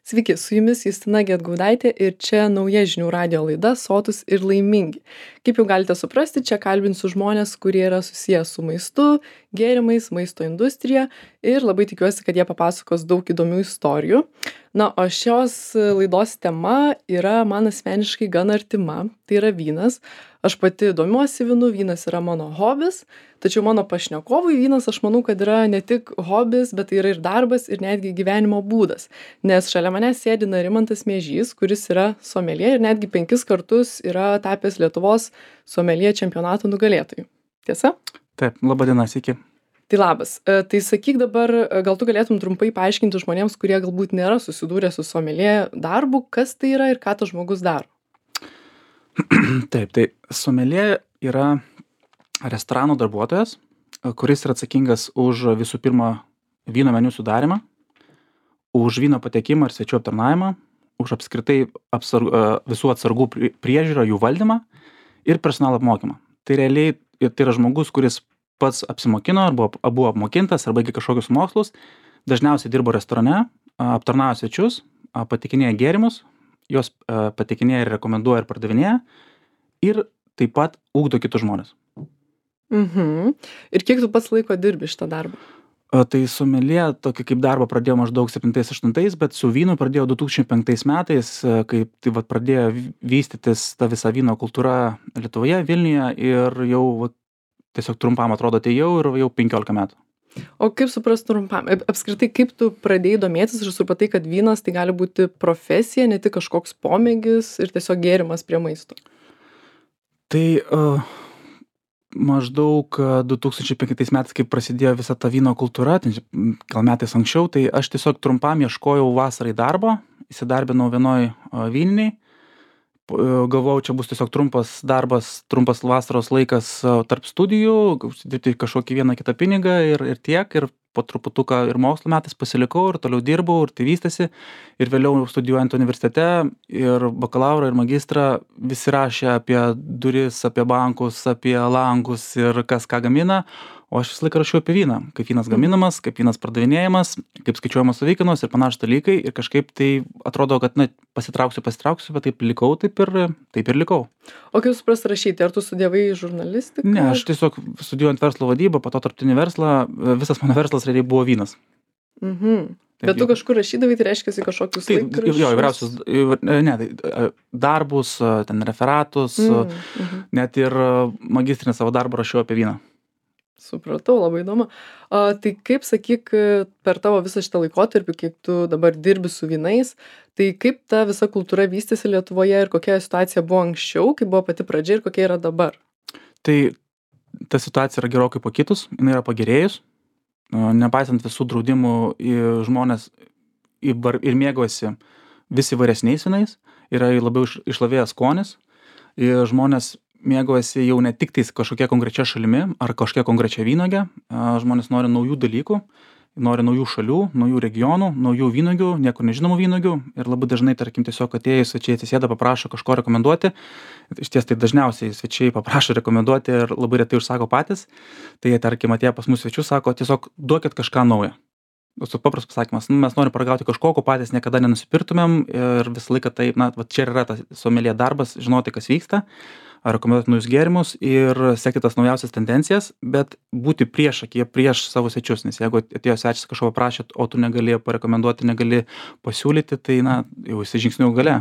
Sveiki, su jumis Justina Gedgaudaitė ir čia nauja žinių radijo laida Sotūs ir laimingi. Kaip jau galite suprasti, čia kalbinsiu žmonės, kurie yra susiję su maistu, gėrimais, maisto industrija ir labai tikiuosi, kad jie papasakos daug įdomių istorijų. Na, o šios laidos tema yra man asmeniškai gan artima, tai yra vynas. Aš pati domiuosi vynu, vynas yra mano hobis, tačiau mano pašnekovui vynas, aš manau, kad yra ne tik hobis, bet tai yra ir darbas, ir netgi gyvenimo būdas. Nes šalia manęs sėdi Narimantas Miežys, kuris yra someljė ir netgi 5 kartus yra tapęs Lietuvos someljė čempionato nugalėtoju. Tiesa? Taip, laba diena, sveiki. Tai labas. Tai sakyk dabar, gal tu galėtum trumpai paaiškinti žmonėms, kurie galbūt nėra susidūrę su someljė darbu, kas tai yra ir ką tas žmogus daro. Taip, tai someljė yra restorano darbuotojas, kuris yra atsakingas už visų pirma vyno meniu sudarymą, už vyno patekimą ir svečių aptarnavimą, už apskritai visų atsargų priežiūrą, jų valdymą ir personalo apmokymą. Tai realiai tai yra žmogus, kuris pats apsimokino arba buvo apmokintas arba baigė kažkokius mokslus, dažniausiai dirbo restorane, aptarnavo svečius, patikinėja gėrimus, juos patikinėja ir rekomenduoja ir pardavinėja ir taip pat ugdo kitus žmones. Ir kiek tu pats laiko dirbi šitą darbą? Tai someljė tokį kaip darbą pradėjo maždaug 7-8, bet su vynu pradėjo 2005 metais, kai tai vat pradėjo vystytis ta visa vyno kultūra Lietuvoje, Vilniuje ir jau tiesiog trumpam atrodo atėjau ir jau 15 metų. O kaip suprast trumpam? Apskritai, kaip tu pradėjai domėtis ir supratai, kad vynas tai gali būti profesija, ne tik kažkoks pomėgis ir tiesiog gėrimas prie maisto? Tai maždaug 2005 metais, kai prasidėjo visa ta vyno kultūra, gal metais anksčiau, tai aš tiesiog trumpam ieškojau vasarai darbo, įsidarbinau vienoj vyniniai. Galvojau, čia bus tiesiog trumpas darbas, trumpas vasaros laikas tarp studijų, užsidirbti kažkokį vieną kitą pinigą ir tiek, ir po truputuką ir mokslo metais pasilikau ir toliau dirbau ir tai vystėsi. Ir vėliau studijuojant universitete ir bakalaurą ir magistrą visi rašė apie duris, apie bankus, apie langus ir kas ką gamina, o aš visą laiką rašiau apie vyną, kaip vynas gaminamas, kaip vynas pardavinėjamas, kaip skaičiuojamos savikainos ir panašūs dalykai ir kažkaip tai atrodo, kad pasitrauksiu, bet taip likau, taip ir likau. O kaip suprast rašyti, ar tu studijavai žurnalistiką? Ne, aš tiesiog studijuojant verslo vadybą, po to tarptautinį verslą, visas mano verslas realiai buvo vynas. Bet tu kažkur rašydavai, tai reiškia kažkokius laikraščius? Jo, įvairiausius, darbus, ten referatus, net ir magistrinį savo darbą rašiau apie vyną. Supratau, labai įdomu. Tai kaip, sakyk, per tavo visą šitą laikotarpį, kiek tu dabar dirbi su vynais, tai kaip ta visa kultūra vystėsi Lietuvoje ir kokia situacija buvo anksčiau, kaip buvo pati pradžia ir kokia yra dabar? Tai ta situacija yra gerokai pakitus, jinai yra pagerėjus. Nepaisant visų draudimų, žmonės ir mėgaujasi vis įvairesniais vynais, yra labiau išlavėjęs skonis ir žmonės mėgaujasi jau ne tik tais kažkokia konkrečia šalimi ar kažkokia konkrečia vynuoge, žmonės nori naujų dalykų, nori naujų šalių, naujų regionų, naujų vynuogių, niekur nežinomų vynuogių ir labai dažnai, tarkim, tiesiog atėjus svečiai atsisėda, paprašo kažko rekomenduoti. Iš ties tai dažniausiai svečiai paprašo rekomenduoti ir labai retai užsako patys. Tai jie, tarkim, atėję pas mus svečius, sako, tiesiog duokit kažką naujo. Su paprastas pasakymas, mes norim paragauti kažko, ko patys niekada nenusipirktumėm ir visą laiką tai, čia yra tas someljė darbas, žinoti, kas vyksta, rekomenduoti naujus gėrimus ir sekti tas naujausias tendencijas, bet būti priešakyje prieš savo svečius, nes jeigu atėjo svečias kažko paprašė, o tu negali parekomenduoti, negali pasiūlyti, tai jau esi žingsnių gale.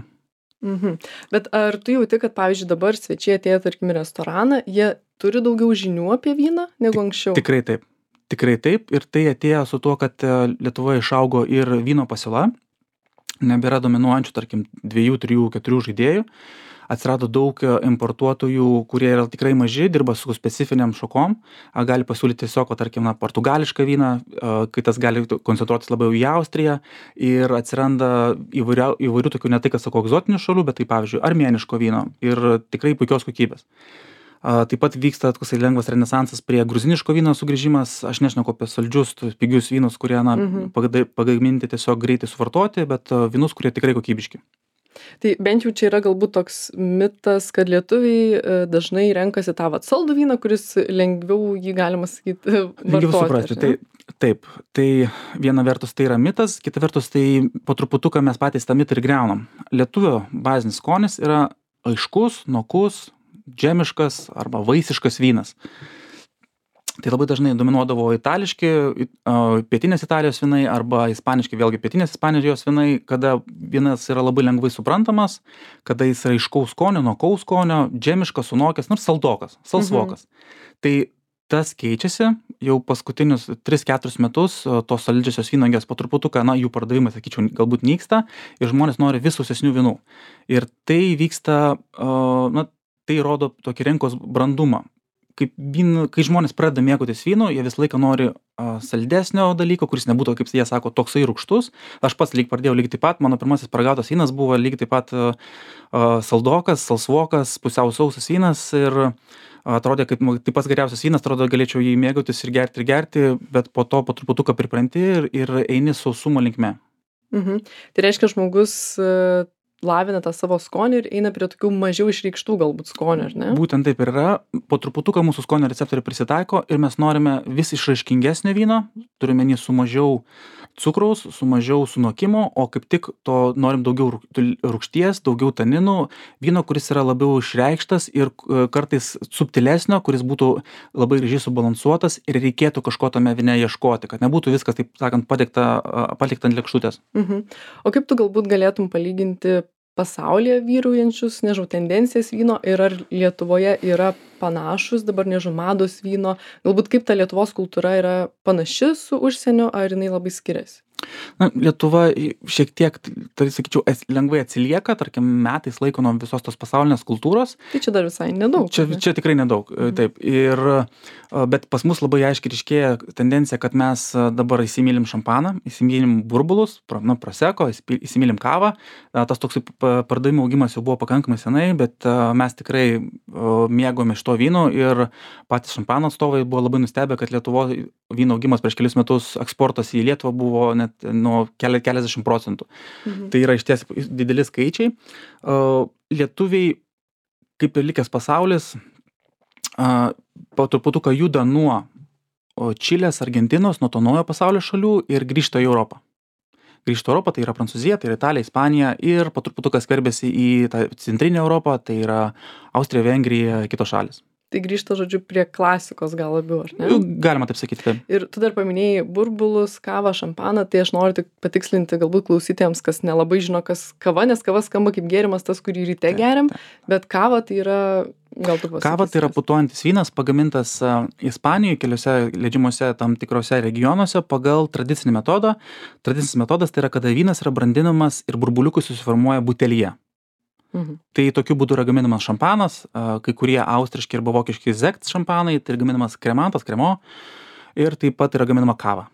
Bet ar tu jauti, kad, pavyzdžiui, dabar svečiai atėjo, tarkim, į restoraną, jie turi daugiau žinių apie vyną negu anksčiau? Tikrai taip ir tai atėjo su tuo, kad Lietuvoje išaugo ir vyno pasiūla, nebėra dominuojančių, tarkim, 2, 3, 4 žaidėjų, atsirado daug importuotojų, kurie yra tikrai maži, dirba su specifiniam šakom, gali pasiūlyti tiesiog, tarkim, portugališką vyną, kitas gali koncentruotis labiau į Austriją ir atsiranda įvairių tokių, ne tai, kad sakau, egzotinių šalių, bet tai, pavyzdžiui, armėniško vyno ir tikrai puikios kokybės. Taip pat vyksta toksai lengvas renesansas prie gruziniško vyno sugrįžimas, aš nešneku apie saldžius, pigius vynus, kurie pagaminti tiesiog greitai suvartoti, bet vynus, kurie tikrai kokybiški. Tai bent jau čia yra galbūt toks mitas, kad lietuviai dažnai renkasi tą vat saldų vyną, kuris lengviau jį, galima sakyti, Lengviau vartoti. suprasti. Taip, tai viena vertus tai yra mitas, kita vertus tai po truputuką mes patys tą mitą ir griaunam. Lietuvio bazinis skonis yra aiškus, nokus, džemiškas arba vaisiškas vynas. Tai labai dažnai dominuodavo itališki, pietinės Italijos vynai arba ispaniški, vėlgi pietinės Ispanijos vynai, kada vynas yra labai lengvai suprantamas, kada jis yra aiškaus skonio, nokaus skonio, džemiškas, sunokęs, nors saldokas, salsvokas. Tai tas keičiasi jau paskutinius 3-4 metus, tos saldžiosios vynuogės po truputuką, jų pardavimai, sakyčiau, galbūt nyksta ir žmonės nori vis sausesnių vynų. Ir tai vyksta, tai rodo tokį rinkos brandumą. Kai žmonės pradeda mėgautis vynu, jie visą laiką nori saldesnio dalyko, kuris nebūtų, kaip jie sako, toksai rūgštus. Aš pats pradėjau lygiai taip pat, mano pirmasis paragautas vynas buvo lygiai taip pat saldokas, salsvokas, pusiau sausas vynas ir atrodė, kaip tai pats geriausias vynas, atrodo, galėčiau jį mėgautis ir gerti, bet po to po truputuką pripranti ir eini sausumo linkme. Tai reiškia, žmogus lavina tą savo skonį ir eina prie tokių mažiau išreikštų galbūt skonių, ar ne? Būtent taip ir yra. Po truputuką mūsų skonio receptoriai prisitaiko ir mes norime vis išraiškingesnio vyno, turime jį su mažiau cukraus, su mažiau sunokimo, o kaip tik to norim daugiau rūgšties, daugiau taninų, vyno, kuris yra labiau išreikštas ir kartais subtilesnio, kuris būtų labai gražiai subalansuotas ir reikėtų kažko tame vyne ieškoti, kad nebūtų viskas, taip sakant, palikta ant lėkštutės. O kaip tu galbūt galėtum palyginti pasaulyje vyraujančius, tendencijas vyno ir ar Lietuvoje yra panašus dabar, mados vyno, galbūt kaip ta Lietuvos kultūra yra panaši su užsieniu, ar jinai labai skiriasi? Lietuva šiek tiek, tai sakyčiau, lengvai atsilieka, tarkim, metais laiko nuo visos tos pasaulinės kultūros. Tai čia dar visai nedaug. Čia tikrai nedaug, taip. Bet pas mus labai aiškiai ryškėja tendencija, kad mes dabar įsimylim šampaną, įsimylim burbulus, proseko, įsimylim kavą. Tas toks pardavimų augimas jau buvo pakankamai senai, bet mes tikrai mėgome šito vyno ir patys šampano atstovai buvo labai nustebę, kad Lietuvoje vyno augimas prieš kelius metus eksportas į Lietuvą buvo net nuo keliasdešimt procentų. Tai yra išties dideli skaičiai. Lietuviai, kaip ir likęs pasaulis, po truputuką juda nuo Čilės, Argentinos, nuo to naujo pasaulio šalių ir grįžta į Europą. Grįžta Europą, tai yra Prancūzija, tai yra Italija, Ispanija ir po truputuką skverbiasi į tą centrinę Europą, tai yra Austrija, Vengrija, kitos šalis. Tai grįžta, žodžiu, prie klasikos gal labiau, ar ne? Galima taip sakyti, taip. Ir tu dar paminėjai burbulus, kavą, šampaną, tai aš noriu tik patikslinti galbūt klausytėjams, kas nelabai žino, kas kava, nes kava skamba kaip gėrimas tas, kurį ryte geriam, bet kava tai yra, gal tu pasakysi. Kava tai yra putojantis vynas, pagamintas Ispanijoje, keliose leidžimuose tam tikrose regionuose pagal tradicinį metodą. Tradicinis metodas tai yra, kada vynas yra brandinamas ir burbuliukai susiformuoja butelyje. Tai tokiu būdu yra gaminamas šampanas, kai kurie austriški arba vokiški Sekt šampanai, tai gaminamas kremantas, kremo ir taip pat yra gaminama kava.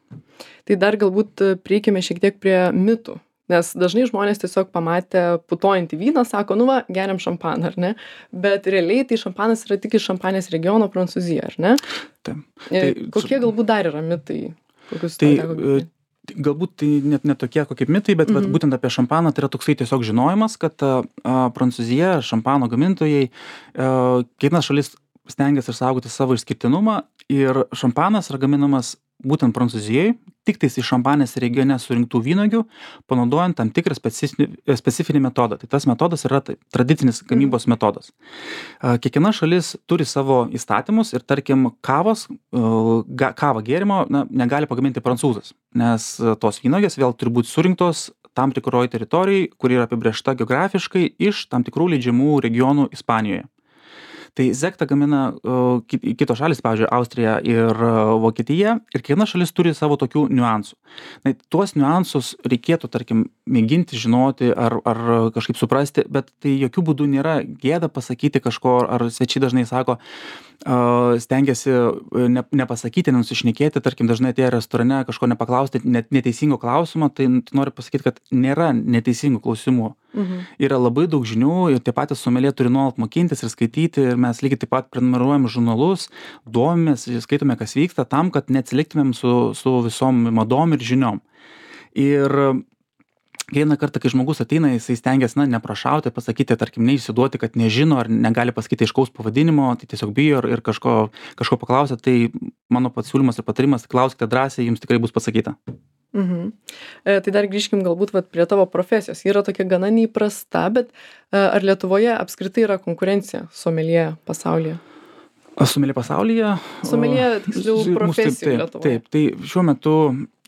Tai dar galbūt prieikime šiek tiek prie mitų, nes dažnai žmonės tiesiog pamatę putojantį vyną, sako, geriam šampaną, ar ne? Bet realiai tai šampanas yra tik iš Šampanės regiono Prancūzija, ar ne? Taip. Kokie galbūt dar yra mitai? Galbūt tai net ne tokie kokie mitai, bet būtent apie šampaną tai yra toksai tiesiog žinojimas, kad Prancūzija, šampano gamintojai, kiekviena šalis stengiasi išsaugoti savo išskirtinumą ir šampanas yra gaminamas būtent Prancūzijai, tik tais iš Šampanės regione surinktų vynuogių, panaudojant tam tikrą specifinį metodą. Tai tas metodas yra tradicinis gamybos metodas. Kiekviena šalis turi savo įstatymus ir tarkim kavą gėrimo negali pagaminti prancūzas, nes tos vynuogės vėl turi būti surinktos tam tikroje teritorijoje, kuri yra apibrėžta geografiškai iš tam tikrų leidžiamų regionų Ispanijoje. Tai Sektą gamina kitos šalis, pavyzdžiui, Austrija ir Vokietija, ir kiekviena šalis turi savo tokių niuansų. Tuos niuansus reikėtų, tarkim, mėginti žinoti ar kažkaip suprasti, bet tai jokių būdų nėra gėda pasakyti kažko, ar svečiai dažnai sako, stengiasi nepasakyti, nenusišnekėti, tarkim, dažnai atėję restorane kažko nepaklausti neteisingo klausimo, tai noriu pasakyti, kad nėra neteisingų klausimų. Yra labai daug žinių ir tie patys someljė turi nuolat mokintis ir skaityti ir mes lygiai taip pat prenumeruojam žurnalus, domimės, skaitome, kas vyksta, tam, kad neatsiliktumėm su visom madom ir žiniom. Ir kiekvieną kartą, kai žmogus ateina, jisai stengiasi, neprašauti, pasakyti, tarkim, neišsiduoti, kad nežino ar negali pasakyti aiškaus pavadinimo, tai tiesiog bijo ir kažko paklausia, tai mano pasiūlymas ir patarimas, klauskite drąsiai, jums tikrai bus pasakyta. Tai dar grįžkim galbūt prie tavo profesijos. Yra tokia gana neįprasta, bet ar Lietuvoje apskritai yra konkurencija someljė pasaulyje? Someljė pasaulyje? Someljė, tiksliau, profesijų Lietuvoje. Taip, tai šiuo metu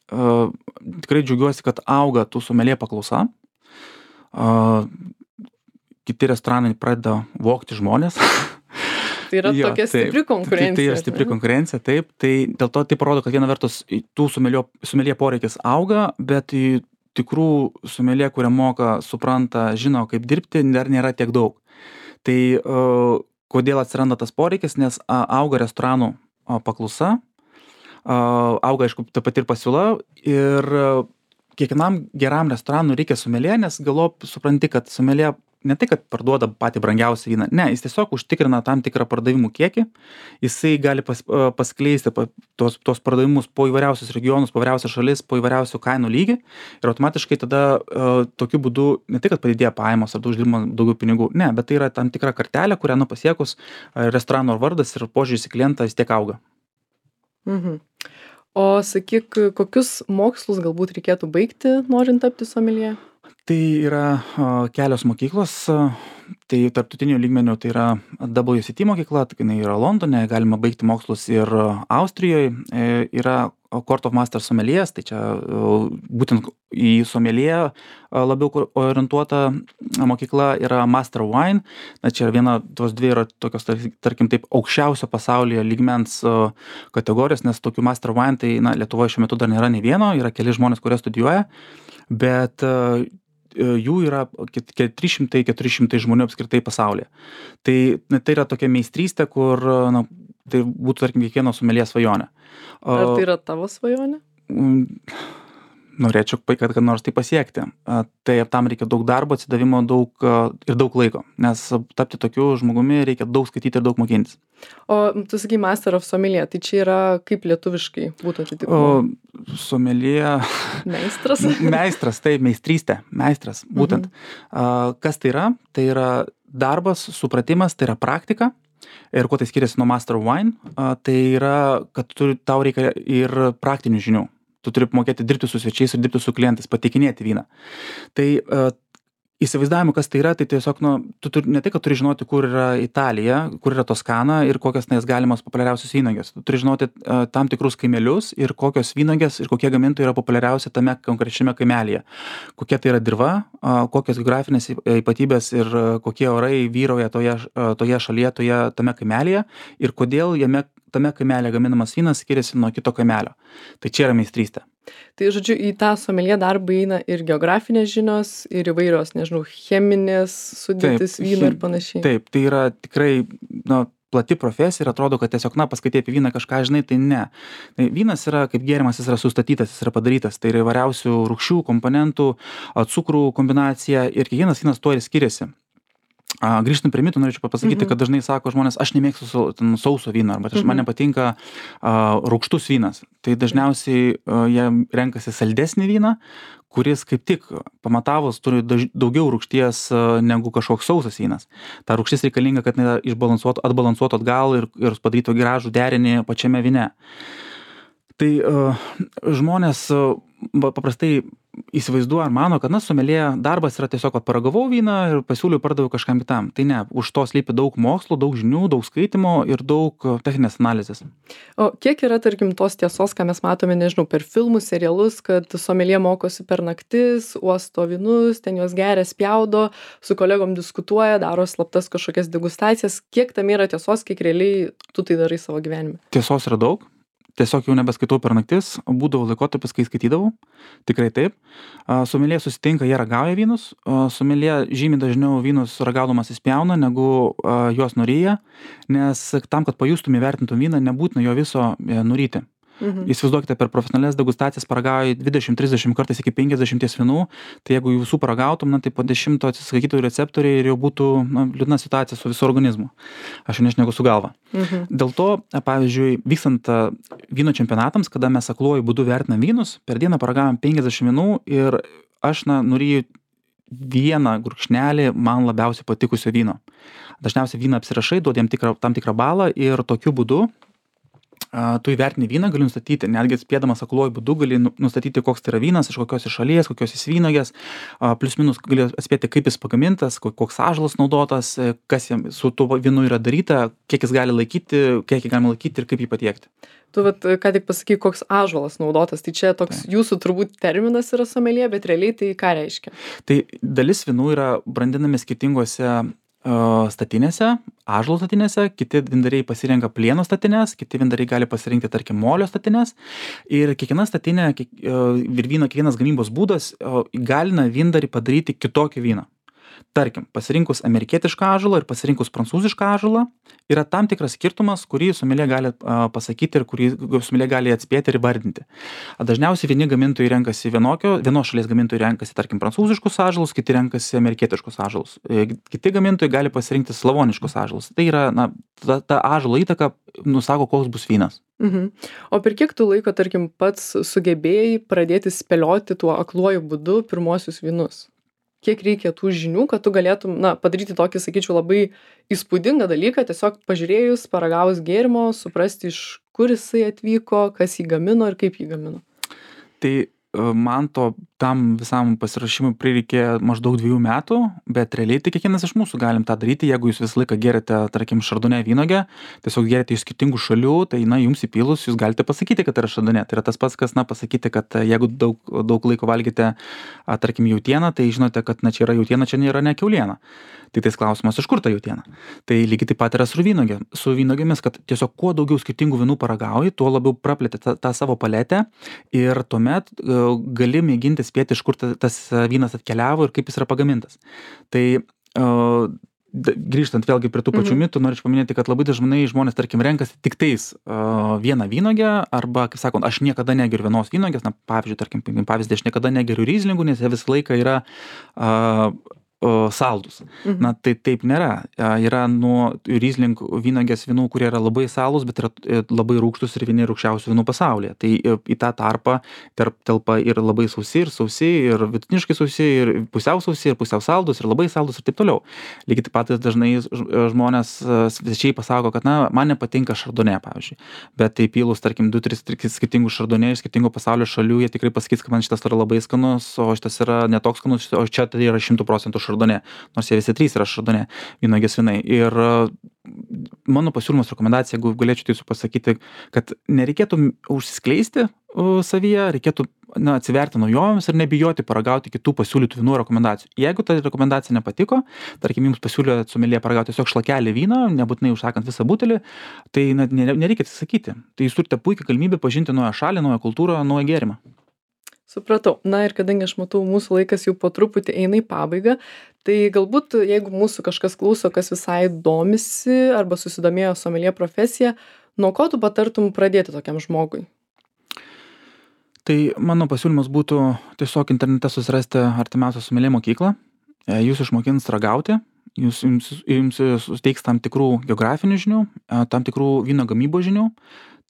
tikrai džiaugiuosi, kad auga tų someljė paklausa. Kiti restoranai pradeda vogti žmonės. Tai yra tokia stipri konkurencija. Tai yra stipri konkurencija, taip. Tai dėl to tai parodo, kad viena vertus tų someljė poreikis auga, bet tikrų someljė, kurie moka, supranta, žino, kaip dirbti, dar nėra tiek daug. Tai kodėl atsiranda tas poreikis, nes auga restoranų paklausa, auga, aišku, taip pat ir pasiūla ir kiekvienam geram restoranui reikia someljė, nes galop supranti, kad someljė ne tai, kad parduoda patį brangiausią vyną, ne, jis tiesiog užtikrina tam tikrą pardavimų kiekį, jisai gali paskleisti tos pardavimus po įvairiausius regionus, po įvairiausias šalis, po įvairiausių kainų lygį ir automatiškai tada tokiu būdu ne tai, kad padidėja pajamos ar uždirbama daugiau pinigų, ne, bet tai yra tam tikra kartelė, kurią pasiekus restorano vardas ir požiūris į klientą vis tiek auga. O sakyk, kokius mokslus galbūt reikėtų baigti, norint tapti someljė? Tai yra kelios mokyklos, tai tarptautiniu lygmeniu tai yra WCT mokykla, tai jinai yra Londone, galima baigti mokslus ir Austrijoje, yra Court of Master Sommeliers, tai čia būtent į someljė labiau orientuota mokykla yra Master Wine, čia viena, tos dvi yra tokios, tarkim taip, aukščiausio pasaulyje lygmens kategorijos, nes tokių Master Wine, tai Lietuvoje šiuo metu dar nėra nei vieno, yra keli žmonės, kurie studijuoja, bet jų yra 300-400 žmonių apskritai pasaulyje. Tai yra tokia meistrystė, kur tai būtų, tarkim, kiekvieno someljė svajonė. Ar tai yra tavo svajonė? Norėčiau, kad nors tai pasiekti. Tai tam reikia daug darbo, atsidavimo ir daug laiko, nes tapti tokiu žmogumi reikia daug skaityti ir daug mokintis. O tu sakai Master of Sommelier, tai čia yra kaip lietuviškai būtų atitikmuo? Sommelier. Meistras? Meistras, taip, meistrystė, meistras, būtent. Kas tai yra? Tai yra darbas, supratimas, tai yra praktika. Ir kuo tai skiriasi nuo Master of Wine, tai yra, kad tau reikia ir praktinių žinių. Tu turi mokėti dirbti su svečiais ir dirbti su klientais, pateikinėti vyną. Tai įsivaizdavimu, kas tai yra, tai tiesiog, tu ne tai, kad turi žinoti, kur yra Italija, kur yra Toskana ir kokios galimos populiariausios vynogės. Tu turi žinoti tam tikrus kaimelius ir kokios vynogės ir kokie gamintojai yra populiariausi tame konkrečiame kaimelyje. Kokia tai yra dirva, kokios geografinės ypatybės ir kokie orai vyrauja toje šalyje, tame kaimelyje ir kodėl tame kaimelė gaminamas vynas skiriasi nuo kito kaimelio. Tai čia yra meistrystė. Tai, žodžiu, į tą someljė darbą įeina ir geografinės žinios, ir įvairios, nežinau, cheminės sudėtis vyno ir panašiai. Taip, tai yra tikrai, plati profesija ir atrodo, kad tiesiog, paskaitai apie vyną kažką žinai, tai ne. Tai vynas yra, kaip gėrimas, jis yra sustatytas, jis yra padarytas. Tai yra įvairiausių rūgščių, komponentų, cukrų kombinacija ir kiekvienas vynas tuo ir skiriasi. Grįžtant prie mitų, norėčiau pasakyti, kad dažnai sako žmonės, aš nemėgstu sauso vyno, arba man nepatinka rūgštus vynas. Tai dažniausiai jie renkasi saldesnį vyną, kuris kaip tik pamatavus turi daugiau rūgšties negu kažkoks sausas vynas. Ta rūgštis reikalinga, kad atbalansuotų atgal ir padarytų gražų derinį pačiame vyne. Tai žmonės paprastai įsivaizduoja ar mano, kad someljė darbas yra tiesiog, kad paragavau vyną ir pasiūliau pardaviau kažkam kitam. Tai ne, už to slypi daug mokslo, daug žinių, daug skaitimo ir daug techninės analizės. O kiek yra, tarkim, tos tiesos, ką mes matome, nežinau, per filmus, serialus, kad someljė mokosi per naktis, uosto vynus, ten juos geria, spjaudo, su kolegom diskutuoja, daro slaptas kažkokias degustacijas. Kiek tam yra tiesos, kiek realiai tu tai darai savo gyvenime? Tiesos yra daug. Tiesiog jau nebeskaitau per naktis, būdavo laikotarpis, kai skaitydavau, tikrai taip. Someljė susitinka, jie ragauja vynus, someljė žymiai dažniau vynus ragaudamas įspjauna, negu juos nuryja, nes tam, kad pajustum įvertintum vyną, nebūtina jo viso nuryti. Įsivaizduokite, per profesionalias degustacijas paragauji 20-30 kartais iki 50 vynų, tai jeigu visų paragautum, tai po 10 atsiskaitytų receptoriai ir jau būtų liūdna situacija su visu organizmu. Aš jau nešneku su galva. Dėl to, pavyzdžiui, vykstant vyno čempionatams, kada mes akluoju būdu vertinam vynus, per dieną paragavom 50 vynų ir aš nuryju vieną gurkšnelį man labiausiai patikusio vyno. Dažniausiai vyną apsirašai, duodi jam tam tikrą balą ir tokiu būdu tu įvertini vyną, gali nustatyti, netgi spėdamas akluoju būdu, gali nustatyti, koks tai yra vynas, iš kokios šalies, kokios jis vynuogės, plius minus gali atspėti, kaip jis pagamintas, koks ąžuolas naudotas, kas jam su tuo vynu yra daryta, kiek jis gali laikyti, kiek jį galima laikyti ir kaip jį patiekti. Tu ką tik pasakai, koks ąžuolas naudotas, tai čia toks jūsų turbūt terminas yra someljė, bet realiai tai ką reiškia? Tai dalis vynų yra brandinami skirtingose statinėse, ąžuolo statinėse, kiti vyndariai pasirenka plieno statines, kiti vyndariai gali pasirinkti, tarkim, molio statines. Ir kiekviena statinė ir vyno kiekvienas gamybos būdas įgalina vyndarį padaryti kitokį vyną. Tarkim, pasirinkus amerikietišką ąžuolą ir pasirinkus prancūzišką ąžuolą yra tam tikras skirtumas, kurį someljė gali pasakyti ir kurį someljė gali atspėti ir įvardinti. Dažniausiai vieni gamintojai renkasi vienos šalies gamintojai renkasi, tarkim, prancūziškus ąžuolus, kiti renkasi amerikietiškus ąžuolus. Kiti gamintojai gali pasirinkti slavoniškus ąžuolus. Tai yra, ta ąžuolo įtaka nusako, koks bus vynas. O per kiek tu laiko, tarkim, pats sugebėjai pradėti spėlioti tuo akluoju būdu pirmuosius vynus? Kiek reikia tų žinių, kad tu galėtum, padaryti tokį, sakyčiau, labai įspūdingą dalyką, tiesiog pažiūrėjus, paragavus gėrimo, suprasti, iš kur jisai atvyko, kas jį gamino ir kaip jį gamino? Tai man tam visam pasiruošimui prireikė maždaug 2 metų, bet realiai tai kiekvienas iš mūsų galim tą daryti, jeigu jūs visą laiką geriate, tarkim, šardonė vynuogę, tiesiog geriate iš skirtingų šalių, tai jums įpylus jūs galite pasakyti, kad tai yra šardonė. Tai yra tas pats, kas pasakyti, kad jeigu daug laiko valgite, tarkim, jautieną, tai žinote, kad čia yra jautiena, čia nėra ne kiauliena. Tai tais klausimas, iš kur ta jautiena. Tai lygiai taip pat yra su vynuogėmis, kad tiesiog kuo daugiau skirtingų vynų paragauji, tuo labiau praplėti tą savo paletę ir tuomet gali mėginti spėti, iš kur tas vynas atkeliavo ir kaip jis yra pagamintas. Tai grįžtant vėlgi prie tų pačių mitų, norėčiau paminėti, kad labai dažnai žmonės, tarkim, renkasi tik tais vieną vynuogę arba, kaip sakant, aš niekada negeriu vienos vynuogės, pavyzdžiui, tarkim, aš niekada negeriu ryzlingų, nes jie visą laiką yra saldus. Tai taip nėra. Yra nuo ryzling vynuogės vynų, kurie yra labai saldus, bet yra labai rūgštus ir vieni rūgščiausių vynų pasaulyje. Tai į tą tarpą telpa ir labai sausi, ir vidutiniškai sausi, ir pusiau sausi, ir pusiau saldus, ir labai saldus ir taip toliau. Lygiai taip pat dažnai žmonės svečiai pasako, kad man nepatinka šardonė, pavyzdžiui. Bet tai pylus, tarkim, 2-3 skirtingų šardonė iš skirtingų pasaulio šalių, jie tikrai pasakys, kad man šitas yra labai skanus, o šitas yra netoks skanus, o čia tai yra 100% šardonė, nors jie visi 3 yra šardonė vynuogės vynai. Ir mano pasiūlymas, rekomendacija, jeigu galėčiau tai pasakyti, kad nereikėtų užsiskleisti savyje, reikėtų atsiverti naujovėms ir nebijoti paragauti kitų pasiūlytų vynų rekomendacijų. Jeigu ta rekomendacija nepatiko, tarkim, jums pasiūlė someljė paragauti tiesiog šlakelį vyno, nebūtinai užsakant visą butelį, tai nereikia atsisakyti. Tai jūs turite puikią galimybę pažinti naują šalį, naują kultūrą, naują gėrimą. Supratau. Ir kadangi aš matau, mūsų laikas jau po truputį eina į pabaigą, tai galbūt, jeigu mūsų kažkas klauso, kas visai domisi arba susidomėjo someljė profesija, nuo ko tu patartum pradėti tokiam žmogui? Tai mano pasiūlymas būtų tiesiog internete susirasti artimiausią someljė mokyklą, jūs išmokins ragauti, jums suteiks tam tikrų geografinių žinių, tam tikrų vyno gamybos žinių,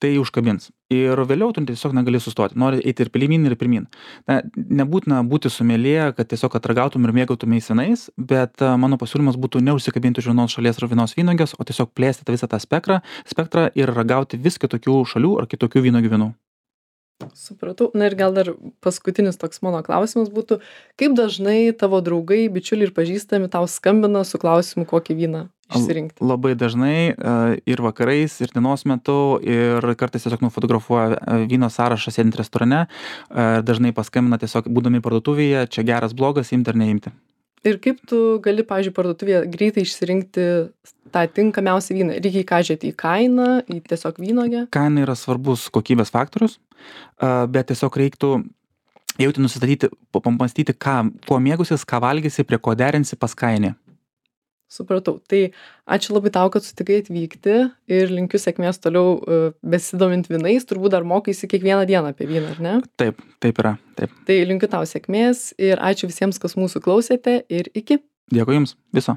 tai užkabins. Ir vėliau tu tiesiog negali sustoti. Nori eiti ir pirmyn, ir pirmyn. Nebūtina būti someljė, kad tiesiog atragautum ir mėgautumeis vynais, bet mano pasiūlymas būtų neužsikabinti už vienos šalies ar vienos vynuogės, o tiesiog plėsti visą tą spektrą ir ragauti vis kitokių šalių ar kitokių vynuogių vynų. Supratau. Ir gal dar paskutinis toks mano klausimas būtų, kaip dažnai tavo draugai, bičiuliai ir pažįstami tau skambina su klausimu, kokį vyną išsirinkti? Labai dažnai ir vakarais, ir dienos metu, ir kartais tiesiog nufotografuoja vyno sąrašą sėdint restorane, dažnai paskambina tiesiog būdami parduotuvėje, čia geras, blogas, imti ar neimti. Ir kaip tu gali, pavyzdžiui, parduotuvėje greitai išsirinkti tą tinkamiausią vyną? Reikia ką žiūrėti į kainą, į tiesiog vynuogę? Kaina yra svarbus kokybės faktorius, bet tiesiog reiktų jauti nusistatyti, pamastyti, kuo mėgusis, ką valgysi, prie ko derinsi, pas kainį. Supratau. Tai ačiū labai tau, kad sutikai atvykti ir linkiu sėkmės toliau besidomint vynais. Turbūt dar mokaisi kiekvieną dieną apie vyną, ar ne? Taip yra. Taip. Tai linkiu tau sėkmės ir ačiū visiems, kas mūsų klausėte ir iki. Dėkui jums. Viso.